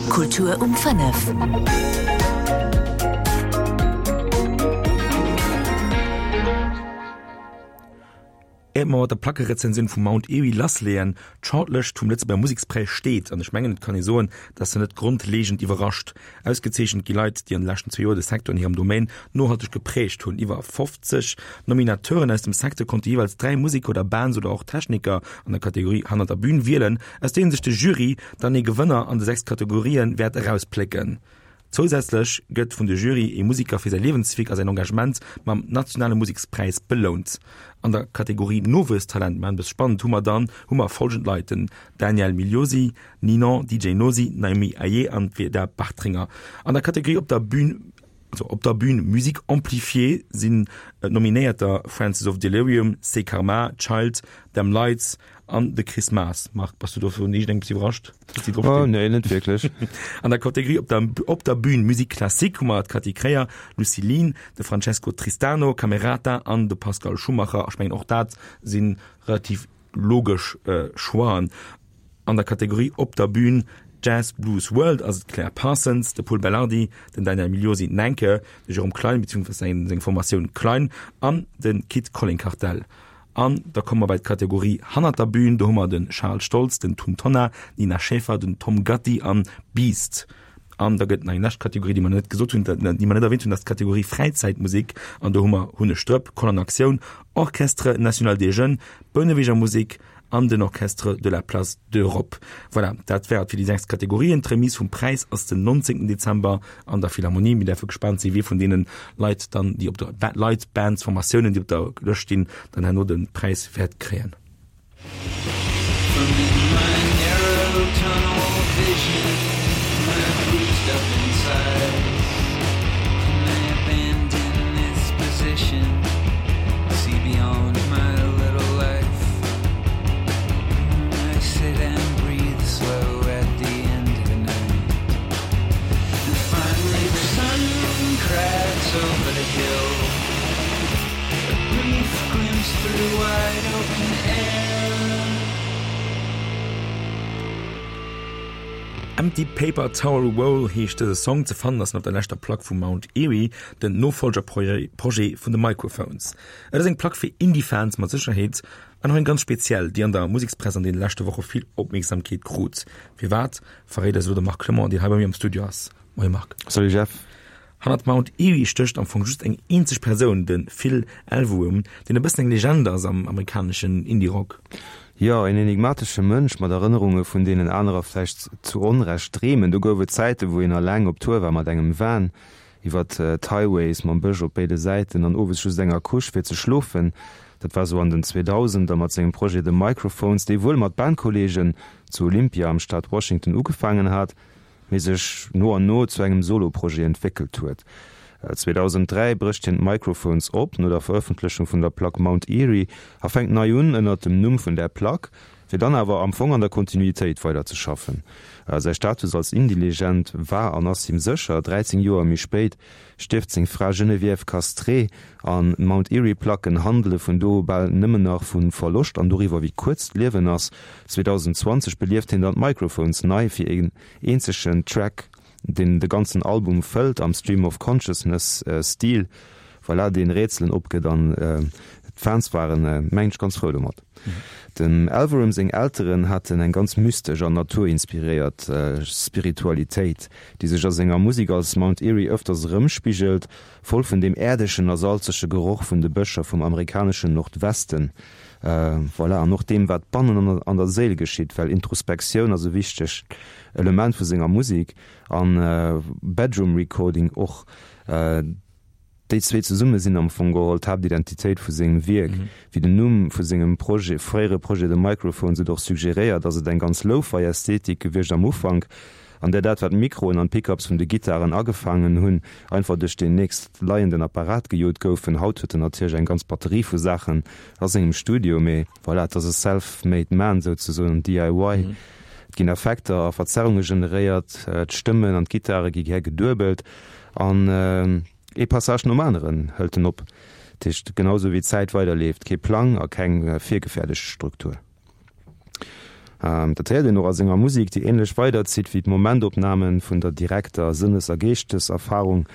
Kultur um 5. Éiert mer mat der Plackerezensioun vu Mount Eerie lassleeën, d'Shortlëscht vum Lëtzebuerger Musekspräis steet, an ech mengen et kann ee soen, dass se net grondleegend iwwerrascht. Ausgezeechent gi Leit, déi an de leschten zwee Joer de Secteur an hirem Domaine nohalteg geprägt hunn. Iwwer 50 Nominateuren aus dem Secteur konnte jeeweils 3 Museker oder Bands oder och Techniker an der Kategorie Hannert der Bün wielen, aus deenen sech de Jury dann ee Gewënner an de 6 Kategorië wäert erausplécken. Zousätzlech gëtt vun de Jury ee Musiker fir säi Liewenswierk a säin Engagement mam nationale Musekspräis belount. An der Kategorie Nowuesstalent, mä e spannend, hu mer dann hu mer folgend Leit, den Daniel Migliosi, Ninon, DJ Nosi, Naomi Ayé an d'Veda Bartringer. An der Kategorie Op der Bün also op der Bühn Musique amplifiée sinn d'Nominéierter Francis of Delirium, C'est Karma, Child, Them Lights an de Chris Maas. Marc, bass du dovun iergendengem iwwerrascht, dass déi drop stinn? Oh nee, net wierklech. An der Kategorie op der op der Bühn Musique classique hu mer d'Cathy Kreyer, Lucy Lin, de Francesco Tristano, Camerata an de Pascal Schumacher. Ech mengen och dat si relativ logesch Choixen. An der Kategorie Op der Bühn Jazz Blues World ass et d'Claire Parsons, de Pol Belardi, den Daniel Migliosi, d'Nenke, de Jérôme Klein beziehungsweise seng Formatioun Klein an de Kit Colling Kartell. An da komme mer bei d'Kategorie Hannert der Bühn, do hu mer de Charles Stoltz, den Tun Tonnar, d'Nina Schäfer, den Tom Gatti an Beast. An da gëtt nach eng lescht Kategorie, déi mer net gesot hunn, déi mer net erwähnt hunn, dat ass d'Kategorie Fräizäitmusek. An do hu mer Hunne Strëpp, Koll an Aktioun, Orchestre National des Jeunes, Bouneweger Musek an den Orchestre de la Place d'Europe. Voilà, dat war et fir déi 6 Kategorien. D'Remise vum Präis ass den 19 Dezember an der Philharmonie. Mir däerfe gespaant sinn, wie vun deene Leit dann, déi op der Leit, Bands, Formatiounen, déi op der Lëscht stinn, dann herno de Präis wäert kréien. Empty Paper Towel Roll heescht dëse Song. Ze fannen ass en op der leschter Plack vu Mount Eerie, den Nofollgerprojet vun de Microphones. Et ass eng Plack fir Indie-Fans mat Sécherheet an och eng ganz speziell, déi an der Musekspress an deene leschte Woche vill Opmierksamkeet krut. Firwat, verréit eis elo de Marc Clement, deen hei bei mir am Studio ass. Moie Marc. Salut Jeff. Hannert Mount Eerie stécht am Fong just eng eenzeg Persoun, de Phil Elverum, deen e bëssen eng Legend ass am amerikaneschen Indie-Rock. Jo, een enigmatesche Mënsch mat Erënnerunge vun deenen anerer vläicht zu Onrecht dreemen. Do gouf et Zäiten, wou een eleng op Tour war mat engem Van iwwer d'Highways mam Bësch op béide Säiten an owes just enger Couche fir ze schlofen. Dat war sou an den Zweedausender mat sengem Projet The Microphones, dee wuel mat Bandkolleegen zu Olympia am Staat Washington ugefaangen hat, mee sech no an no zu engem Solo-Projet entwéckelt huet. 2003 brécht hien d'Microphones op, no der Verëffentlechung vun der Plack Mount Eerie, a fänkt nei un ënnert dem Numm vun där Plack, fir dann awer am Fong an der Kontinuitéit weider ze schaffen. Säi Status als Indie-Legend war an ass him sécher. 13 Joer méi spéit stierft seng Fra Geneviève Castrée an d'Mount Eerie Placken handele vun do u bal nëmmen nach vu Verloscht an doriwwer wéi kuerz d'Liewen ass. 2020 belieft hien dann d'Microphones nei fir een eenzegen Track, deen de ganzen Album fëllt am Stream of Consciousness Stil, voilà, deen Rätselen opgëtt an d'Fans waren mengen ech ganz frou domat. Dem Elverum seng Elteren haten eng ganz mystesch an naturinspiréiert Spiritualitéit, déi sech a senger Musek als Mount Eerie ëfters erëmspigelt, voll vun deem äerdegen a salzege Geroch vun de Bëscher vum amerikaneschen Nordwesten, voilà, an och deem wat bannen an der Séil geschitt, well Introspektioun ass e wichtegt Element vu senger Musek an Bedroom Recording och. Déi zwee zesumme sinn am Fong geholl d'Haaptidentitéit vu sengem Wierk. Wéi den Numm vu sengem Projet, fréiere Projet The Microphones et och suggeréiert, ass et eng ganz Lo-Fi-Ästhetik gewiescht am Ufank, an där dat wat d'Mikroen an d'Pickups vun de Gittaren agefaangen hunn, einfach duerch deen nächst leienden Apparat gejot goufen. Haut huet en natierlech eng ganz Batterie vu Saachen a sengem Studio, mee voilà, et ass e self-made man souzesoen, DIY. Et ginn Effekter a Verzerrunge generéiert, d'Stëmmen an d'Gittare gi gär geduebelt an ee Passage nom aneren hëlt en op. Dat heescht, genau sou wéi d'Zäit weiderleeft, kee Plang a keng virgefäerdegt Struktur. Dat héiert een och a senger Musek, déi änlech weiderzitt wéi d'Momentopname vun der direkter Sënnes a Geeschteserfarung.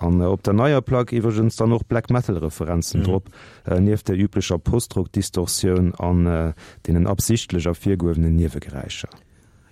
An op der neier Plack iwwregens dann och Black Metal Referenzen drop, nieft der üblecher Postrock Distortioun an deenen absichtlech ervirgehuewenen Niewegeräischer.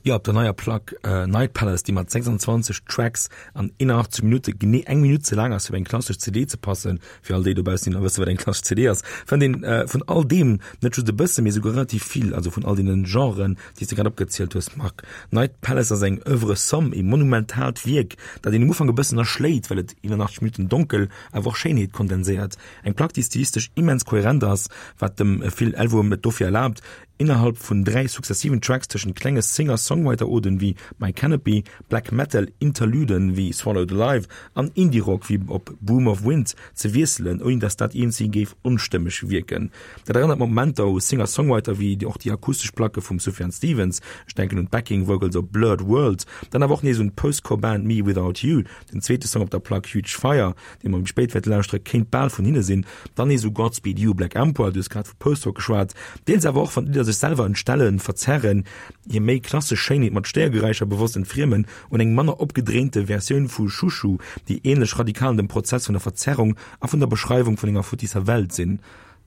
Jo, op der neier Plack Night Palace, déi mat 26 Tracks an 81 Minutte genee eng Minutt ze laang ass fir op eng klassesch CD ze passen, fir all déi dobaussen déi nach wësse wat eng klassesch CD ass, fënnt een vun all deem net just e bësse mee esouguer relativ vill, also vun all deene Genren déi s de grad opgezielt hues Marc. Night Palace ass eng Oeuvre somme, ee monumentaalt Wierk, dat een um Ufank e bëssen erschléit, well et 81 Minutten Donkel awer och Schéinheet kondenséiert. Eng Plack déi stilistesch immens kohärent ass, wat dem Phil Elverum et dofir erlaabt, Innerhalb vun 3 successiven Tracks tëschent klenge Singer-Songwriter-Oden wéi My Canopy, Black Metal Interluden wéi Swallowed Alive an Indie-Rock wéi op Broom of Wind ze wiesselen, ouni dass dat iergendwéi géif onstëmmeg wierken. Dat erënnert mat Momenter u Singer-Songwriter wéi och déi akustesch Placke vum Sufjan Stevens, ech denken un d'Backing Vocals op Blurred World, dann awer och nees un d'Post-Core-Band mewithoutYou, den zweete Song op der Plack Huge Fire, dee mer méi spéit wäerte lauschtere, kéint bal vun hinne sinn. Dann nees u Godspeed You Black Emperor, du hues grad vu Post-Rock geschwat. Deels awer och, wann d'Lidder sech selwer entstellen, verzerren, hir méi klassesch Schéinheet mat Stéiergeräischer bewosst entfriemen, un eng manner opgedréinte Versioun vu Shushu, déi änlech radikal an dem Prozess vun der Verzerrung a vun der Beschreiwung vun enger futtisser Welt sinn.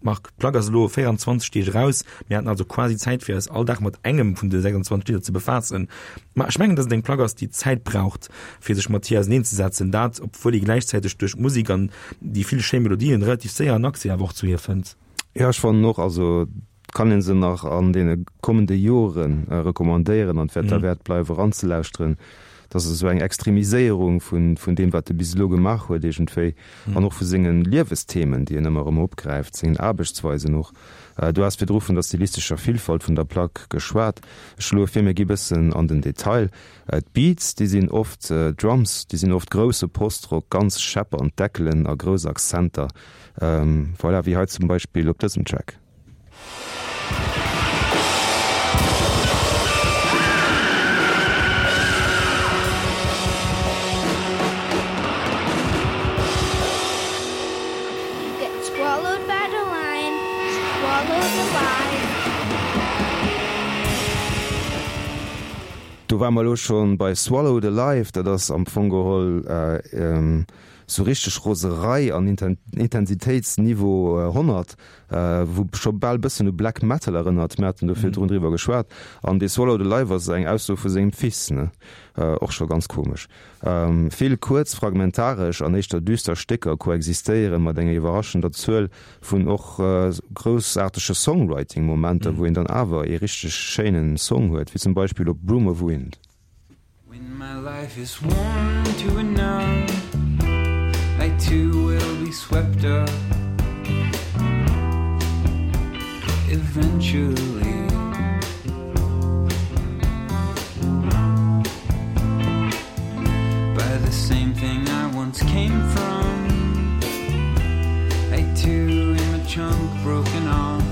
Marc, D'Plack ass elo 24 Deeg eraus. Mir haten also quasi Zäit fir eis all Dag mat engem vun de 26 Lidder ze befaassen. Ma ech mengen, datt et eng Plack ass, déi Zäit braucht, fir sech mat hir auserneenzesetzen. Dat, obwuel ee gläichzäiteg duerch d'Musek an déi vill schéi Melodien relativ séier en Accès awer och zu hir fënnt. Jo, ech fannen och. Also et kann ee se nach an deene kommende Jore recommandéieren an et wäert derwäert bleiwen eranzelauschteren. Et ass esou eng Extremiséierung vun vun deem, wat e bis elo gemaach huet iergendwéi an och vu senge Liewesthemen, déi en ëmmer erëm opgräift, sengen Aarbechtsweisen och. Du has virdru vun der stilistescher Villfalt vun der Plack geschwat. Ech schloe vir, mir gi bëssen an den Detail. D'Beats, déi sinn oft Drums, déi sinn oft grousse Postrock, ganz scheppernd Deckelen a grouss Akzenter. Voilà, wéi hei zum Beispill op dësem Track. Do ware mer elo scho bei Swallowed Alive. Dat ass am Fong geholl sou richteg Roserei an Intensitéitsniveau 100. Wou scho bal bëssen u Black Metal erënnert, mir haten do virdrun driwwer geschwat. An dee Swallowed Alive ass eng Ausso vu sengem Fils, ne? Och scho ganz komesch. Vill kuerz, fragmentaresch an éischter düster Stécker koexistéiere mat enger iwwerraschender Zuel vun och groussaartege Songwriting-Momenter, wou een dann awer ee richteg schéinen Song huet, wéi zum Beispill op Broom of Wind. When my life is worn to a nub, I too will be swept up eventually. By the same thing I once came from, I too am a chunk broken off.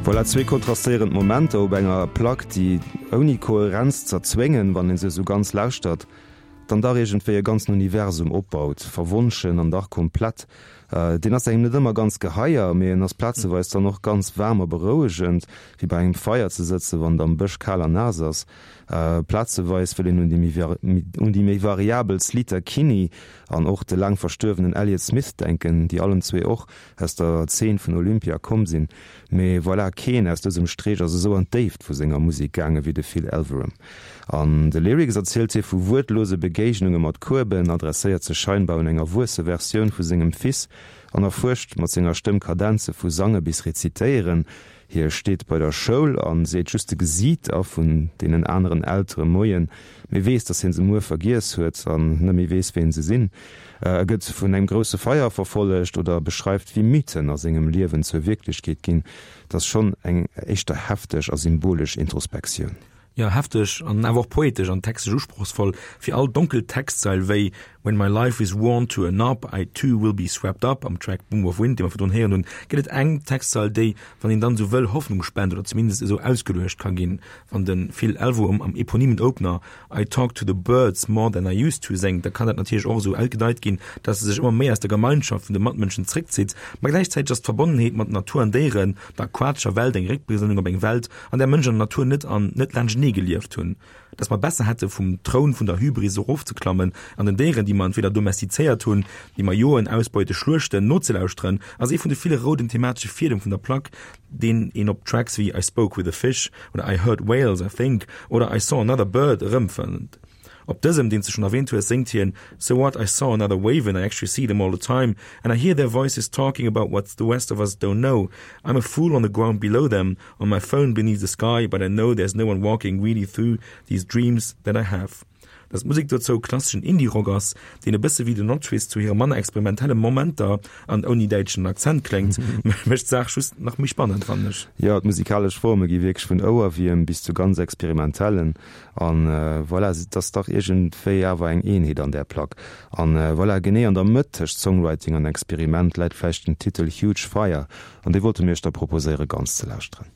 Voilà zwee kontrastéierend Momenter op enger Plack, déi ouni Koherenz z'erzwéngen, wann een se esou ganz lauschtert, dann dach iergendwéi e ganzen Universum opbaut, verwonschen an dach komplett. Deen ass engem net ëmmer ganz geheier, mee en ass plazeweis dann och ganz waarm a berouegend, wéi bei engem Feier ze sëtzen, wann et am Bësch kal an naass ass. Plazeweis wëll een un déi méi variabel Sleater Kinney an och de laang verstuerwenen Elliott Smith denken, déi allen zwee och aus der Zeen vun Olympia komm sinn. Mee voilà, keen aus dësem Streech ass esou an d'Déift vu senger Musek gaange wéi de Phil Elverum. An de Lyrics erzielt hie vu wuertlose Begéignunge mat Kueben, adresséiert sech scheinbar un eng erwuesse Versioun vu sengem Fils an erfuerscht mat senger Stëmm Kadenze vu Sange bis Rezitéieren. Hie steet bei der Schoul a seet just de Gesiiter vun deenen aneren Eltere Moien, mee weess, datt hien se muer vergiess huet an net méi weess, ween se sinn. E gëtt vun engem grousse Feier verfollegt oder beschreift, wéi Mythen a sengem Liewen zur Wierklechkeet ginn. Et ass schonn eng éischter hefteg a symbolesch Introspektioun. Jo, hefteg an awer och poetesch an textlech usprochsvoll. Fir all donkel Textzeil wéi When my life is worn to a knob, I too will be swept up am Track Boom of Wind, dee mer virdrun héieren hunn, gëtt et eng Textzeil, déi, wann een dann esou wëll, Hoffnung spent oder zumindest esou ausgeluecht ka ginn. Wann de Phil Elverum am eponymen Opener I talk to the birds more than I used to séngt, da kann dat natierlech och esou ausgedeit ginn, dass e sech ëmmer méi aus der Gemeinschaft vun de Matmënschen zréckzitt. Ma gläichzäiteg ass d'Verbonnenheet mat Natur an Déieren, der aquatescher Welt eng Réckbesënnung op eng Welt, an där Mënsch an Natur net an net laanschtenee gelieft hunn, dass mer besser hätte vum Troun vun der Hybris erofzeklammen an den Déieren, déi mer entweder domestizéiert hunn, déi mer joen, ausbeute, schluechten, nozelauschteren, ass ee vun de ville rouden thematesche Fiedem vun der Plack, deen een op Tracks wéi I Spoke With A Fish oder I Heard Whales, I Think oder I Saw Another Bird erëmfënnt. Op dësem, deen s de schonn erwähnt hues, séngt hien, So what, I saw another wavin', I actually see them all the time, and I hear their voices talking about what the rest of us don't know, I'm a fool on the ground below them, on my phone beneath the sky, but I know there's no one walking really through these dreams that I have. Dass d'Musek dozou klasseschen Indie-Rock ass, deen e bësse wéi The Notwist zu hire manner experimentelle Momenter an ouni däitschen Akzent kléngt, mécht d'Saach just nach méi spannend, fannen ech. Jo, d'musikalesch Forme gi wierklech vun Ouerwierm bis zu ganz experimentellen An voilà, et ass dach iergendwéi awer eng Eenheet an där Plack. An voilà, genee an der Mëtt tëscht Songwriting an Experiment läit vläicht den Titel Huge Fire, an dee wollte mir iech da proposéiere ganz ze lauschteren.